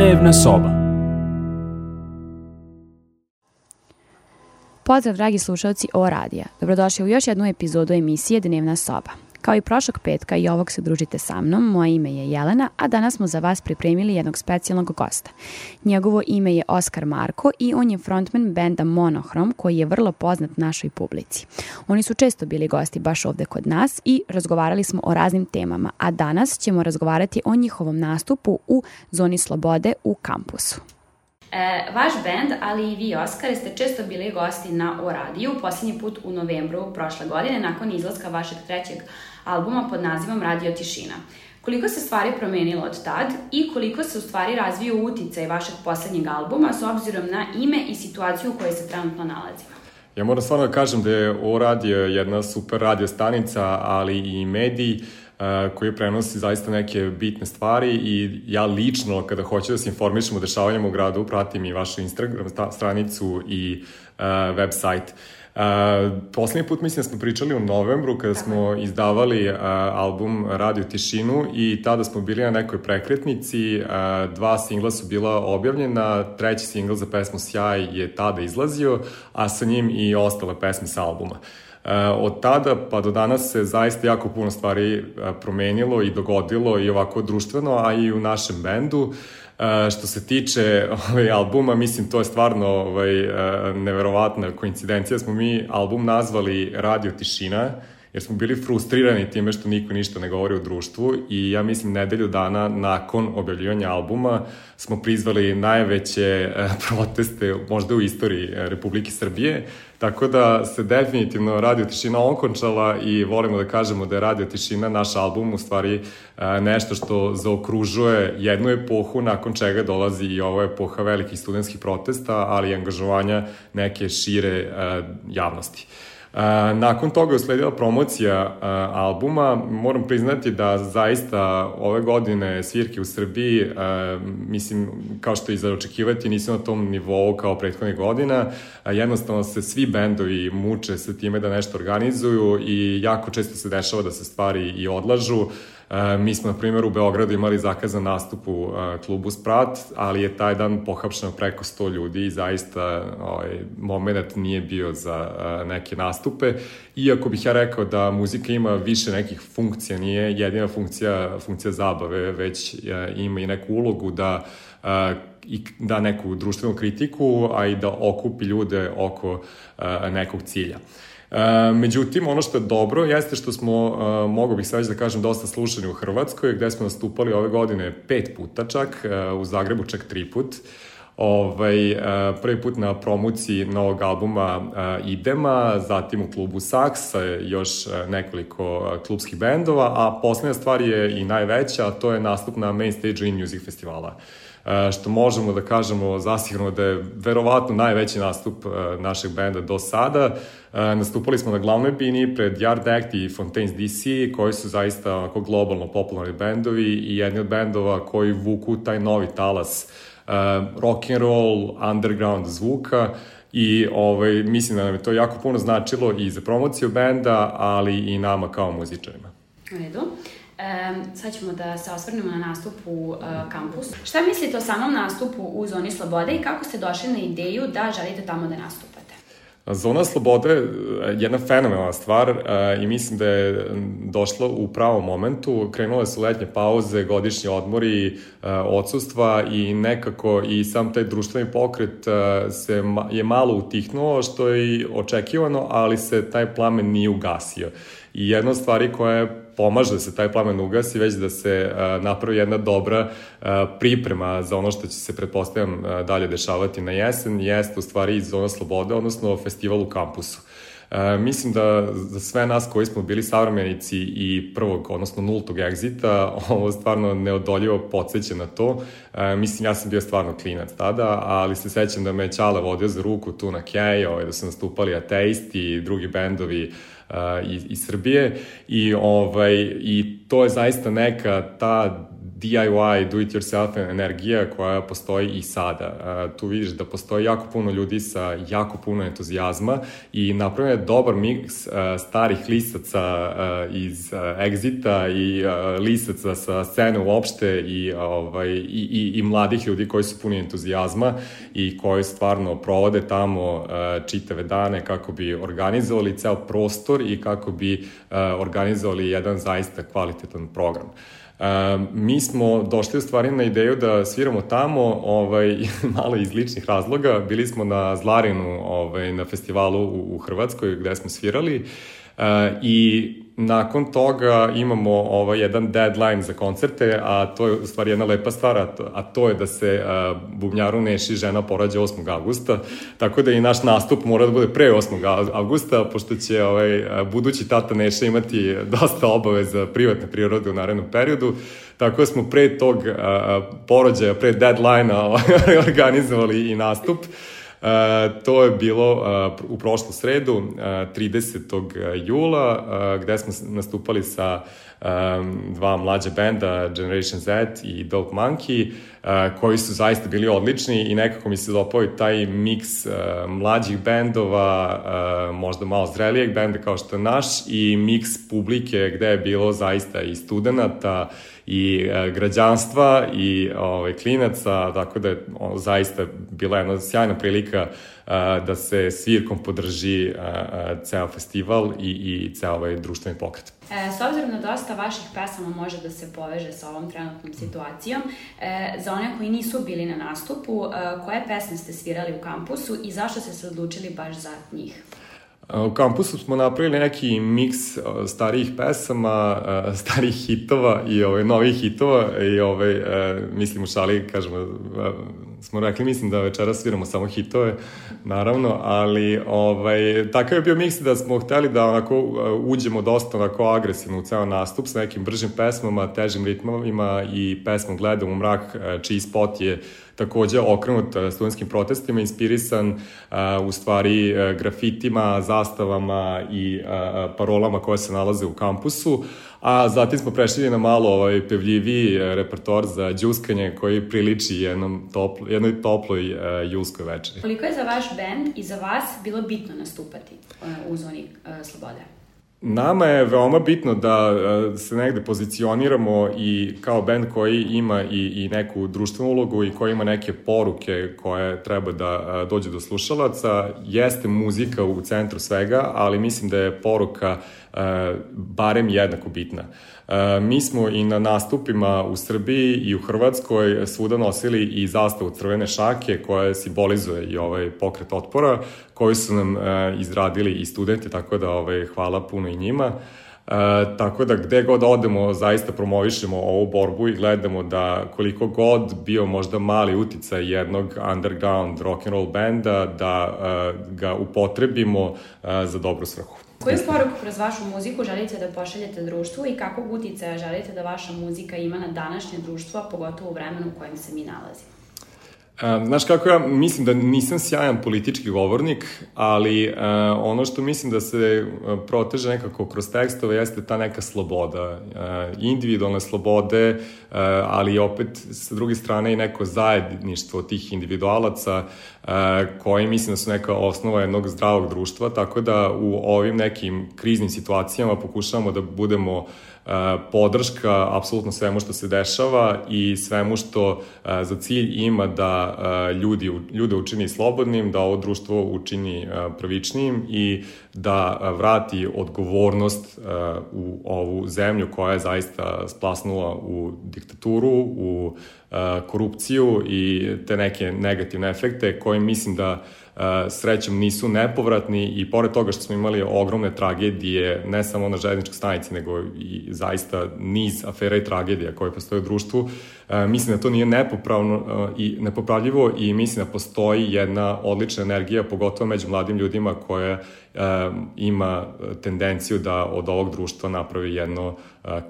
Dnevna soba. Pozdrav dragi slušalci O radija. Dobrodošli u još jednu epizodu emisije Dnevna soba. Kao i prošlog petka i ovog se družite sa mnom, moje ime je Jelena, a danas smo za vas pripremili jednog specijalnog gosta. Njegovo ime je Oskar Marko i on je frontman benda Monohrom koji je vrlo poznat našoj publici. Oni su često bili gosti baš ovde kod nas i razgovarali smo o raznim temama, a danas ćemo razgovarati o njihovom nastupu u Zoni slobode u kampusu. Vaš bend, ali i vi, Oskar, ste često bili gosti na O radiju, posljednji put u novembru prošle godine, nakon izlaska vašeg trećeg albuma pod nazivom Radio Tišina. Koliko se stvari promenilo od tad i koliko se u stvari razvio uticaj vašeg posljednjeg albuma s obzirom na ime i situaciju u kojoj se trenutno nalazimo? Ja moram stvarno da kažem da je O radio jedna super radio stanica, ali i medij koji prenosi zaista neke bitne stvari i ja lično kada hoću da se informišem o dešavanjima u gradu pratim i vašu Instagram stranicu i website. Poslednji put mislim da smo pričali u novembru kada smo izdavali album Radio Tišinu i tada smo bili na nekoj prekretnici, 2 singla su bila objavljena, 3. singl za pesmu Sjaj je tada izlazio, a sa njim i ostale pesme sa albuma. Od tada pa do danas se zaista jako puno stvari promenilo i dogodilo i ovako društveno, a i u našem bendu. Što se tiče albuma, mislim to je stvarno neverovatna koincidencija. Smo mi album nazvali Radio Tišina, jer smo bili frustrirani time što niko ništa ne govori o društvu i ja mislim nedelju dana nakon objavljivanja albuma smo prizvali najveće proteste možda u istoriji Republike Srbije, tako da se definitivno Radio Tišina okončala i volimo da kažemo da je Radio Tišina naš album u stvari nešto što zaokružuje jednu epohu nakon čega dolazi i ova epoha velikih studentskih protesta, ali i angažovanja neke šire javnosti. Nakon toga je usledila promocija albuma. Moram priznati da zaista ove godine svirke u Srbiji, mislim, kao što i za očekivati, nisu na tom nivou kao prethodnih godina. Jednostavno se svi bendovi muče sa time da nešto organizuju i jako često se dešava da se stvari i odlažu. Mi smo, na primjer, u Beogradu imali zakazan nastup u klubu Sprat, ali je taj dan pohapšeno preko 100 ljudi i zaista moment nije bio za neke nastupe. Iako bih ja rekao da muzika ima više nekih funkcija, nije jedina funkcija zabave, već ima i neku ulogu da da neku društvenu kritiku, a i da okupi ljude oko nekog cilja. Međutim, ono što je dobro jeste što smo, mogu bih sad već da kažem, dosta slušani u Hrvatskoj, gde smo nastupali ove godine 5 puta čak, u Zagrebu čak 3 put. Prvi put na promociji novog albuma Idema, zatim u klubu Saks sa još nekoliko klubskih bendova, a poslednja stvar je i najveća, a to je nastup na main stage In Music festivala. Što možemo da kažemo zasigurno da je verovatno najveći nastup našeg benda do sada. Nastupali smo na glavnoj bini pred Yard Act i Fontaines DC, koji su zaista globalno popularni bendovi i jedni od bendova koji vuku taj novi talas rock and roll, underground zvuka i mislim da nam je to jako puno značilo i za promociju benda, ali i nama kao muzičarima. U redu. Sad ćemo da se osvrnemo na nastup u kampusu. Šta mislite o samom nastupu u Zoni slobode i kako ste došli na ideju da želite tamo da nastupate? Zona slobode je jedna fenomenalna stvar i mislim da je došla u pravom momentu. Krenule su letnje pauze, godišnji odmori, odsustva i nekako i sam taj društveni pokret je malo utihnuo, što je i očekivano, ali se taj plamen nije ugasio. I jedna od stvari koja pomaže da se taj plamen ugasi, već da se napravi jedna dobra priprema za ono što će se, pretpostavljam, dalje dešavati na jesen, jeste u stvari Zona slobode, odnosno festival u kampusu. Mislim da za sve nas koji smo bili savremenici i prvog, odnosno nultog egzita, ovo stvarno neodoljivo podsjeća na to. Mislim, ja sam bio stvarno klinac tada, ali se sećam da me Ćale vodio za ruku tu na Kej, da su nastupali Ateisti i drugi bendovi iz Srbije i to je zaista neka ta DIY, do-it-yourself energija koja postoji i sada. Tu vidiš da postoji jako puno ljudi sa jako puno entuzijazma i napravljen je dobar miks starih listaca iz Exita i listaca sa scene uopšte i mladih ljudi koji su puni entuzijazma i koji stvarno provode tamo čitave dane kako bi organizovali ceo prostor i kako bi organizovali jedan zaista kvalitetan program. Mi smo došli u stvari na ideju da sviramo tamo malo iz ličnih razloga. Bili smo na Zlarinu na festivalu u Hrvatskoj gde smo svirali i nakon toga imamo jedan deadline za koncerte, a to je u stvari jedna lepa stvar, a to je da se bubnjaru Neši žena porađa 8. avgusta, tako da i naš nastup mora da bude pre 8. avgusta, pošto će budući tata Neša imati dosta obaveza privatne prirode u narednom periodu, tako da smo pre tog porođaja, pre deadline-a organizovali i nastup. To je bilo u prošlu sredu, 30. jula, gde smo nastupali sa dva mlađa benda, Generation Z i Dope Monkey, koji su zaista bili odlični i nekako mi se dopao i taj miks mlađih bendova, možda malo zrelijeg benda kao što je naš, i miks publike gde je bilo zaista i studenata i građanstva i klinaca, tako da je zaista bila jedna sjajna prilika da se svirkom podrži ceo festival i ceo ovaj društveni pokret. S obzirom na dosta vaših pesama može da se poveže sa ovom trenutnom situacijom, za one koji nisu bili na nastupu, koje pesme ste svirali u kampusu i zašto ste se odlučili baš za njih? U kampusu smo napravili neki miks starijih pesama, starijih hitova i novih hitova i mislim u šali, kažemo, smo rekli, mislim da večera sviramo samo hitove, naravno, ali takav je bio miks da smo hteli da onako uđemo dosta onako agresivno u ceo nastup sa nekim bržim pesmama, težim ritmovima i pesmom Gledam u mrak, čiji spot je takođe okrenut studentskim protestima, inspirisan u stvari grafitima, zastavama i parolama koje se nalaze u kampusu, a zatim smo prešli na malo pevljiviji repertoar za džuskanje koji priliči jednoj toploj julskoj večeri. Koliko je za vaš bend i za vas bilo bitno nastupati u zoni slobode? Nama je veoma bitno da se negde pozicioniramo i kao bend koji ima i neku društvenu ulogu i koji ima neke poruke koje treba da dođe do slušalaca. Jeste muzika u centru svega, ali mislim da je poruka barem jednako bitna. Mi smo i na nastupima u Srbiji i u Hrvatskoj svuda nosili i zastavu crvene šake koja simbolizuje i ovaj pokret otpora koji su nam izradili i studenti, tako da hvala puno i njima. Tako da gde god odemo zaista promovišemo ovu borbu i gledamo da koliko god bio možda mali uticaj jednog underground rock'n'roll benda da ga upotrebimo za dobru svrhu. Koju poruku kroz vašu muziku želite da pošaljete društvu i kakvog uticaja želite da vaša muzika ima na današnje društvo, a pogotovo u vremenu u kojem se mi nalazimo? Znaš kako, ja mislim da nisam sjajan politički govornik, ali ono što mislim da se proteže nekako kroz tekstove jeste ta neka sloboda, individualne slobode, ali opet sa druge strane i neko zajedništvo tih individualaca koji mislim da su neka osnova jednog zdravog društva, tako da u ovim nekim kriznim situacijama pokušavamo da budemo podrška apsolutno svemu što se dešava i svemu što za cilj ima da ljude učini slobodnim, da ovo društvo učini pravičnijim i da vrati odgovornost u ovu zemlju koja je zaista splasnula u diktaturu, u korupciju i te neke negativne efekte koje mislim da srećom nisu nepovratni i pored toga što smo imali ogromne tragedije ne samo na železničkoj stanici nego i zaista niz afera i tragedija koje postoje u društvu, mislim da to nije nepopravljivo i mislim da postoji jedna odlična energija, pogotovo među mladim ljudima koja ima tendenciju da od ovog društva napravi jedno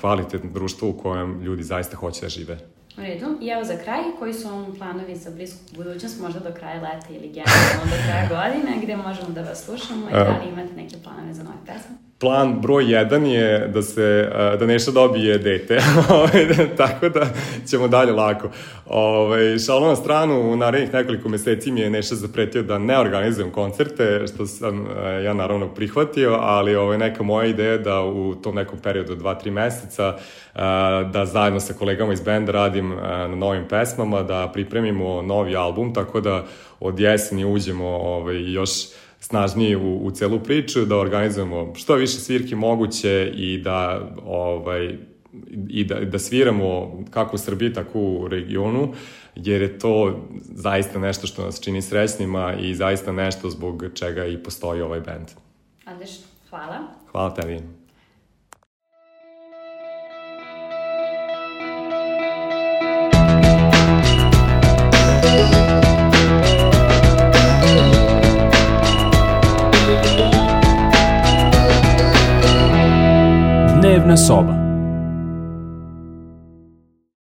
kvalitetno društvo u kojem ljudi zaista hoće da žive. U redu. I evo za kraj, koji su vam planovi za blisku budućnost, možda do kraja leta ili generalno do kraja godine, gde možemo da vas slušamo i da li imate neke planove za nove pesme? plan broj 1 je da Neša dobije dete, tako da ćemo dalje lako. Šalom na stranu, u narednih nekoliko meseci mi je Neša zapretio da ne organizujem koncerte, što sam ja naravno prihvatio, ali neka moja ideja da u tom nekom periodu 2-3 meseca da zajedno sa kolegama iz benda radim na novim pesmama, da pripremimo novi album, tako da od jeseni uđemo još snažniji u celu priču, da organizujemo što više svirki moguće i da sviramo kako u Srbiji, tako u regionu, jer je to zaista nešto što nas čini srećnima i zaista nešto zbog čega i postoji ovaj bend. Odlično, hvala. Hvala tebi. Dnevna soba.